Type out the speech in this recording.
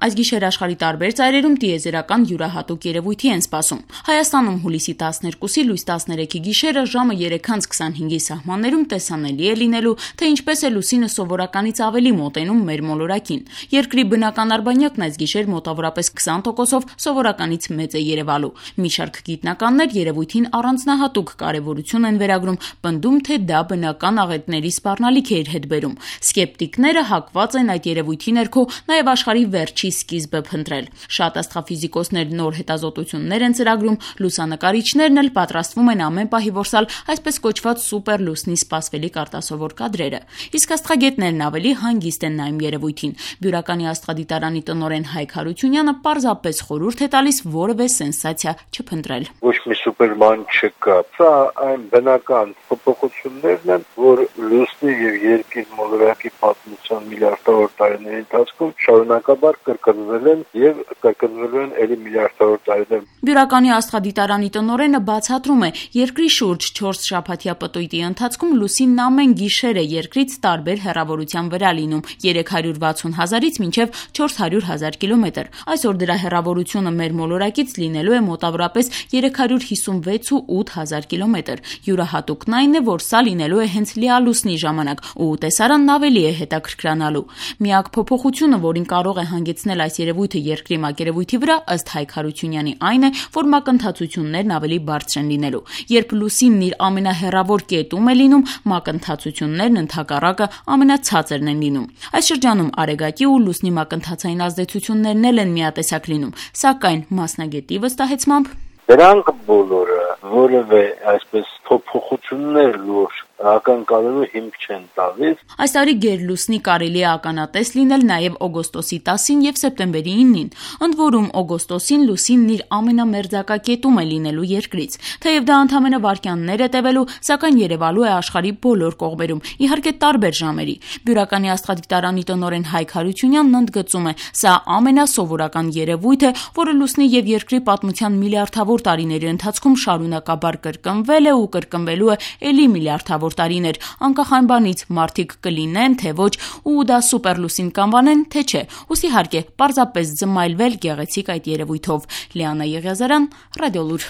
Այս գիշեր աշխարհի տարբեր ծայրերում տիեզերական յուրահատուկ երևույթի են սպասում։ Հայաստանում հուլիսի 12-ի լույս 13-ի գիշերը ժամը 3:25-ի սահմաններում տեսանելի է լինելու, թե ինչպես է լուսինը սովորականից ավելի մոտենում մեր մոլորակին։ Երկրի բնական արբանյակն այս գիշեր մոտավորապես 20%-ով սովորականից մեծ է երևալու։ Մի շարք գիտնականներ երևույթին առանձնահատուկ կարևորություն են վերագրում, պնդում, թե դա բնական աղետների սպառնալիք է իր հետ բերում։ Սկեպտիկները հակված են այդ երևույթի ներքո նաև աշխարհի վերջի սկիզբը փնտրել։ Շատ աստղաֆիզիկոսներ նոր հետազոտություններ են ծրագրում, լուսանկարիչներն էլ պատրաստվում են ամեն պահի որսալ այսպես կոչված սուպեր լուսնի սպասվելիք արտասովոր կադրերը։ Իսկ աստղագետներն ավելի հանգիստ են նայում երևույթին։ Բյուրականի աստղադիտարանի տնօրեն Հայկ Հարությունյանը պարզապես խորհուրդ է տալիս որևէ սենսացիա չփնտրել։ Ոչ մի սուպերման չկա։ Սա այն բնական փոփոխություններն են, որ լուսնի եւ երկիր մոլորակի պատմության միլիարդավոր տարիների ընթացքում շարունակաբար կրկնվել են եւ կրկնվելու են ելի միլիարդավոր տարիներ։ Բյուրականի աստղադիտարանի տնօրենը բացատրում է, երկրի շուրջ 4 շաբաթյա պտույտի ընթացքում լուսինն ամեն գիշեր է երկրից տարբեր հեռավորության վրա լինում՝ 360,000-ից մինչև 400,000 կիլոմետր։ Այսօր դրա հեռավորությունը մեր մոլորակից լինելու է մոտավորապես 356,8 կիլոմետր։ Յուրահատուկն այն է, որ սա լինելու է հենց լիալուսնի ժամանակ, ու տեսարանն ավելի է հետաքրքրանալու։ Միակ փոփոխությունը, որին կարող է հանգեցնել այս երևույթը երկրի մակերևույթի վրա, ըստ Հայկ Հարությունյանի, այն է, որ մակընթացություններն ավելի բարձր են լինելու։ Երբ լուսինն իր ամենահեռավոր կետում է լինում, մակընթացություններն ընդհակառակը ամենացածրն են լինում։ Այս շրջանում արեգակի ու լուսնի մակընթացային ազդեցություններն էլ են միատեսակ լինում, սակայն մասնագետի վստահեցմամբ դրանք բոլորը որևէ այսպես փոփոխություններ լուրջ ակնկալելու հիմք չեն տալիս։ Այս տարի գերլուսնի կարելի է ականատես լինել նաև օգոստոսի 10-ին եւ սեպտեմբերի 9-ին։ Ընդ որում օգոստոսին լուսինն իր ամենամերձակա կետում է լինելու երկրից։ Թեև դա ընդամենը վայրկյաններ է տևելու, սակայն երևալու է աշխարհի բոլոր կողմերում, իհարկե տարբեր ժամերի։ Բյուրականի աստղադիտարանի տնօրեն Հայկ Հարությունյանն ընդգծում է, սա ամենասովորական երևույթ է, որը լուսնի եւ երկրի պատմության միլիարդավոր տարիների ընթացքում շարունակաբար կրկնվել է ու կրկնվելու է ելի միլիարդավոր տարիներ, անկախ այն բանից մարդիկ կլինեն, թե ոչ, ու դա սուպերլուսին կանվանեն, թե չէ։ Ուստի իհարկե պարզապես զմայլվել գեղեցիկ այդ երևույթով։ Լիանա Եղիազարյան, Ռադիոլուր։